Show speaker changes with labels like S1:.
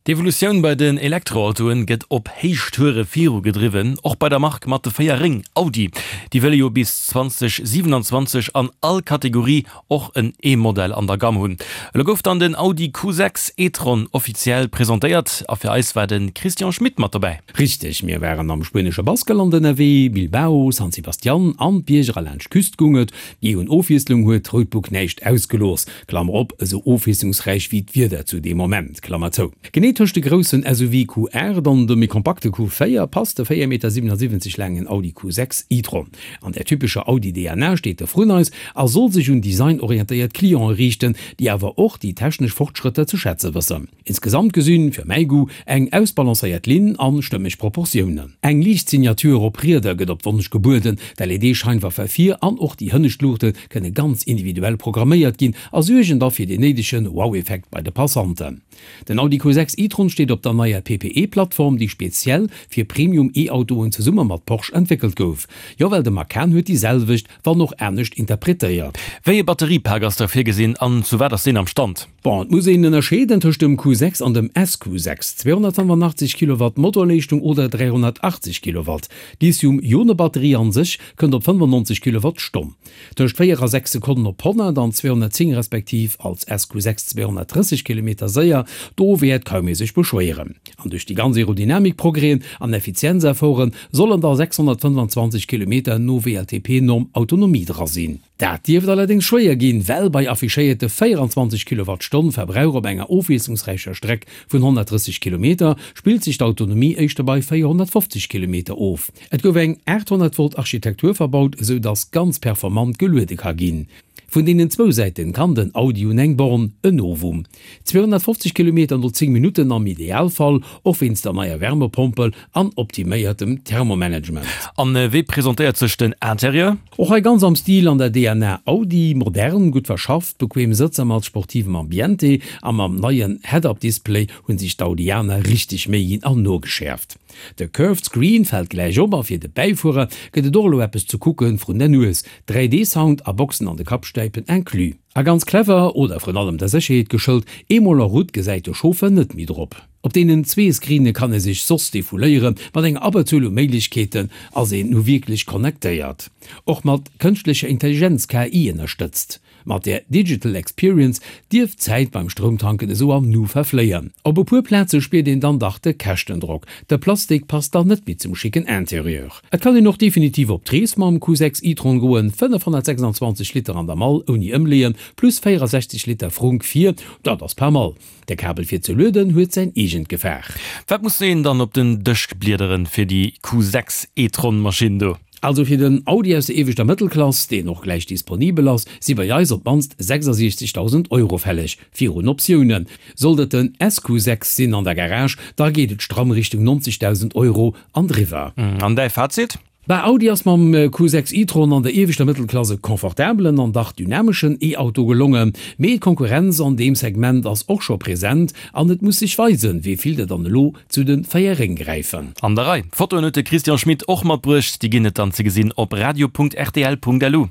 S1: D'Evolutioun bei den Elektroautoen gëtt op Héichtoure virugedriwwen, och bei der Mark mat de 4 Réng, Audi. Déi wëlle jo bis 2027 an all Kategorie och en E-Modell an der Gamm hunn. Elo gouf dann den Audi Q6 e-tron offiziell presentéiert a fir eis war de Christian Schmit mat dobäi.
S2: Richteg, mir waren am spuenesche Baskeland ënnerwee, Bilbao, San Sebastian an d'Bierger a laanscht d'Küst gung et. Jee un Ofwiesslung huet d'Roadbook näischt ausgelooss, Klammer op, esou ofwiesslungsräich wéi d'Wieder zu deem Moment, Klammer zou. Genee tëscht de groussen SUV Q8 an dem méi kompakte Q4 passt de 4,77 Meter laangen Audi Q6 e-tron. An der typescher Audi-DNA steet de vrun eis a soll sech un designorientéiert Cliente riichten, déi awer och déi technesch Fortschrëtter ze schätze wëssen. Insgesamt gesinn, fir mäi Goût, eng ausbalancéiert Linn an stëmmeg Proportiounen. Eng liicht Signature op Rieder gëtt op Wonsch gebueden, d'LED-Scheinwerfer vir an och déi hënnescht Luuchte kënne ganz individuell programméiert ginn a suergen da fir deen néidegen Wow-Effekt bei de Passanten. Den Audi Q6 e-tron steet op der neier PPE-Plattform, déi speziell fir Premium E-Autoen zesumme mat Porsche entwéckelt gouf. Jo, well de Macan huet déi selwecht, wann och anescht interpretéiert.
S1: Wéi e Batteriepak ass da virgesinn an zu wat ass deen am Stand?
S2: Bon, et muss een ënnerscheeden tëscht dem Q6 an dem SQ6, 285 Kilowatt Motorleeschtung oder 380 Kilowatt. D'Lithium-Ione-Batterie an sech kënnt op 95 Kilowattstonn. Tëscht 4 a 6 Sekonnen op 100 an 210 respektiv als SQ6 230 Kilometer séier, do wäert kaum ee sech beschwéieren. An duerch déi ganz Aerodynamik-Progrèsen an Effizienzefforte sollen da 625 Kilometer no WLTP-Norm Autonomie dra sinn. Dat dierft allerdéngs schwéier ginn, well bei affichéierte 24 Kilowattstonn Verbrauch op enger ofwiesslungsräicher Streck vun 130 Kilometer spillt sech d'Autonomie éischter bei 450 Kilometer of. Et gouf eng 800 Volt Architektur verbaut, esou dass ganz performant geluede ka ginn. Vun deenen zwou Säiten kann den Audi un eng Born, en Novum. 250 Kilometer no 10 Minutten am Idealfall, och wéinst der neier Wärmepompel an optiméiertem Thermomanagement.
S1: An wéi presentéiert sech den Interieur?
S2: Och hei ganz am Stil an der DNA Audi, modern, gutt verschafft, bequem Sëtzer mat sportivem Ambiente a mam neien Head-Up-Display hunn sech d'Audianer richteg Méi ginn an nogeschäerft. De Curved Screen fält gläich op a fir de Bäifuerer gëtt et och elo eppes ze kucke vrun der Nues, 3D-Sound a Boxen an de Kappstäipen inclus. A ganz clever, oder vrun allem der Sécherheet geschëlt, eemol en route gesäit de Chauffeur net méi drop. Op deenen zwee Screene kann ee sech soss defouléieren, mat enger Abberzuel u Méiglechkeeten ass een nu wierklech connectéiert. Och mat kënschtlecher Intelligenz, KI, ënnerstëtzt. Mat der Digital Experience dierft d'Zäit beim Stroumtanken esou am Nu verfléien. Op e puer Plaze spiert een dann dach de Käschtendrock, de Plastik passt dann net méi zum schicken Interieur. Et kann een och definitiv op d'Rees mam Q6 e-tron goen, 526 Liter an der Mall ouni Ëmleeën, plus 64 Liter Frunk vir, dat ass pas mal. De Kabel fir ze lueden huet säin eegent Gefaach.
S1: Wat muss een dann op den Dësch bliederen fir déi Q6 e-tron Maschinn do?
S2: Also fir den Audi aus der ieweschter Mëttelklass, deen och gläich disponibel ass, si bei eis op d'mannst 66.000 Euro fälleg, virun Optiounen. Sollt et den SQ6 sinn an der Garage, da geet et stramm Richtung 90.000 Euro an driwwer.
S1: An däi Fazit?
S2: Bah, Audi ass mam Q6 e-tron an der ieweschter Mëttelklass e confortabelen an dach dynameschen E-Auto gelongen. Mee d'Konkurrenz an deem Segment ass och scho present an et muss sech weisen, wéi vill der dann elo zu de 4 Réng gräifen.
S1: An der Rei. Fotoen huet de Christian Schmit och matbruecht, déi ginn et dann ze gesinn op radio.rtl.lu.